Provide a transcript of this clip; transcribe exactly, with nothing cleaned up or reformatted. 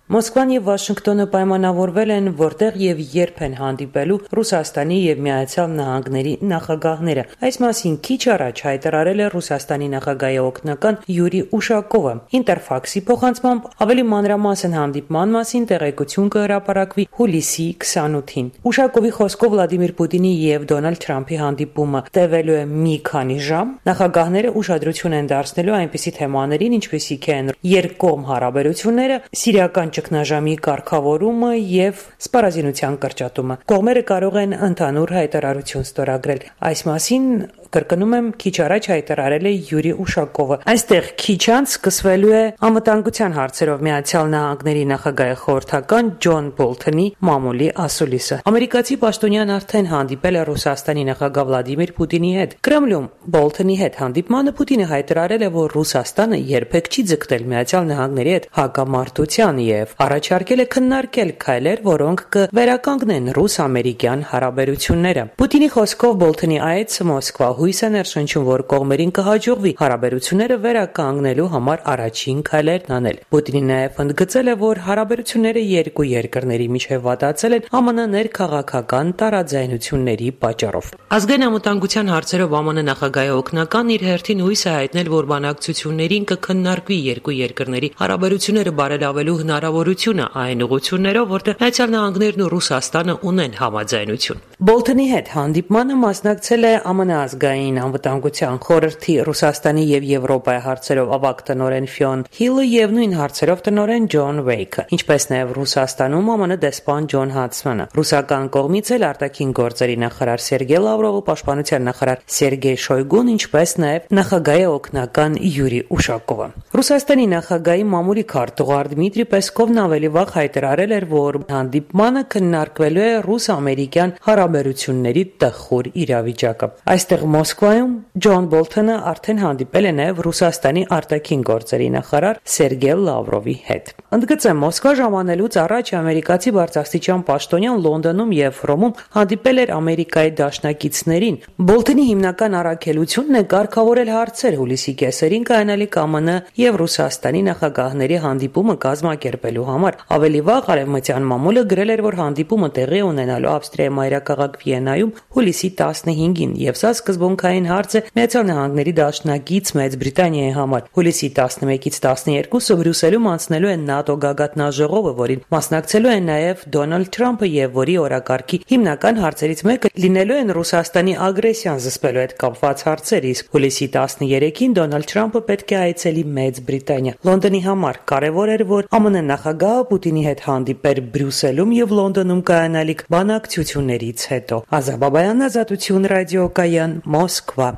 Մոսկվան եւ Վաշինգտոնը պայմանավորվել են, որտեղ եւ երբ են հանդիպելու Ռուսաստանի եւ Միացյալ Նահանգների նախագահները։ Այս մասին քիչ առաջ հայտարարել է Ռուսաստանի նախագահի օգնական Յուրի Ուշակովը։ Ինտերֆաքսի փոխանցմամբ ավելի մանրամասն հանդիպման մասին տեղեկություն կհրապարակվի հուլիսի քսանութին։ Ուշակովի խոսքով Վլադիմիր Պուտինի եւ Դոնալդ Թրամփի հանդիպումը տևելու է մի քանի ժամ։ Նախագահները ուշադրություն են դարձնելու այնպիսի թեմաներին, ինչպիսիք են երկկողմ հարաբերությունները, սիրիական ճգնաժամի կարգավորումը եւ սպառազինության կրճատումը։ Կողմերը կարող են ընդհանուր հայտարարություն ստորագրել։ Այս մասին կրկնում եմ, քիչ առաջ հայտարարել է Յուրի Ուշակովը։ Այստեղ քիչ անց սկսվելու է անվտանգության հարցերով Միացյալ Նահանգների նախագահի խորհրդական Ջոն Բոլթոնի մամուլի ասուլիսը։ Ամերիկացի պաշտոնյան արդեն հանդիպել է Ռուսաստանի նախագահ Վլադիմիր Պուտինի հետ։ Կրեմլում Բոլթոնի հետ հանդիպմանը Պուտինը հայտարարել է, որ Ռուսաստանը երբեք չի ձգտել Միացյալ Նահանգների հետ հակամարտության եւ առաջարկել է քննարկել քայլեր, որոնք կվերականգնեն ռուս-ամերիկյան հարաբերությունները։ Պուտինի խոսքով Բոլթոնի այցը Մոսկվա հույս է ներշնչում, որ կողմերին կհաջողվի հարաբերությունները վերականգնելու համար առաջին քայլերն անել։ Պուտինը նաև ընդգծել է, որ հարաբերությունները երկու երկրների միջև վատացել են ԱՄՆ ներքաղաքական տարաձայնությունների պատճառով։ Ազգային անվտանգության հարցերով ԱՄՆ նախագահի օգնական իր հերթին հույս է հայտնել, որ բանակցություններին կքննարկվի երկու երկրների հարաբերությունները բարելավելու հնարավորությունը այն ուղղություններով, որտեղ Միացյալ Նահանգներն ու Ռուսաստանը ունեն համաձայնություն։ Բոլթոնի հետ հանդիպմանը մասնակցել է ԱՄՆ ազգային անվտանգության խորհրդի Ռուսաստանի եւ Եվրոպայի հարցերով ավագ տնօրեն Ֆիոն Հիլը եւ նույն հարցերով տնօրեն Ջոն Վեյքը, ինչպես նաեւ Ռուսաստանում ԱՄՆ դեսպան Ջոն Հադսմանը։ Ռուսական կողմից էլ արտաքին գործերի նախարար Սերգեյ Լավրովը, պաշտպանության նախարար Սերգեյ Շոյգուն, ինչպես նաեւ նախագահի օգնական Յուրի Ուշակովը։ Ռուսաստանի նախագահի մամուլի քարտուղար Դմիտրի Պեսկովն ավելի վաղ հայտարարել էր, որ հանդիպմանը քննարկվելու է ռուս-ամերիկյան հարաբերությունների տխուր իրավիճակը։ Այստեղ Մոսկվայում Ջոն Բոլթոնը արդեն հանդիպել է նաև Ռուսաստանի արտաքին գործերի նախարար Սերգեյ Լավրովի հետ։ Ընդգծեմ, Մոսկվա ժամանելուց առաջ ամերիկացի բարձրաստիճան պաշտոնյան Լոնդոնում եւ Հռոմում հանդիպել էր Ամերիկայի դաշնակիցներին։ Բոլթոնի հիմնական առաքելությունն է կարգավորել հարցեր հուլիսի կեսերին կայանալիք ԱՄՆ եւ Ռուսաստանի նախագահների հանդիպումը կազմակերպելու համար։ Ավելի վաղ արևմտյան մամուլը գրել էր, որ հանդիպումը տեղի ունենալու Ավստրիայի մայրաքաղաք Վիեննայում հուլիսի տասնհինգին, եւ սա սկզբունքային հարց է Միացյալ Նահանգների դաշնակից Մեծ Բրիտանիայի համար։ Հուլիսի տասնմեկից տասներկուսը Բրյուսելում անցնելու է ՆԱՏՕ գագաթնաժողովը, որին մասնակցելու է նաեւ Դոնալդ Թրամփը եւ որի օրակարգի հիմնական հարցերից մեկը լինելու են Ռուսաստանի ագրեսիան զսպելու հետ կապված հարցեր, իսկ հուլիսի տասներեքին Դոնալդ Թրամփը պետք է այցելի Մեծ Բրիտանիա։ Լոնդոնի համար կարևոր էր, որ ԱՄՆ նախագահը Պուտինի հետ հանդիպեր Բրյուսելում եւ Լոնդոնում կայանալիք բանակցություններից հետո։ Ազա Բաբայան, Ազատություն ռադիոկայան, Մոսկվա։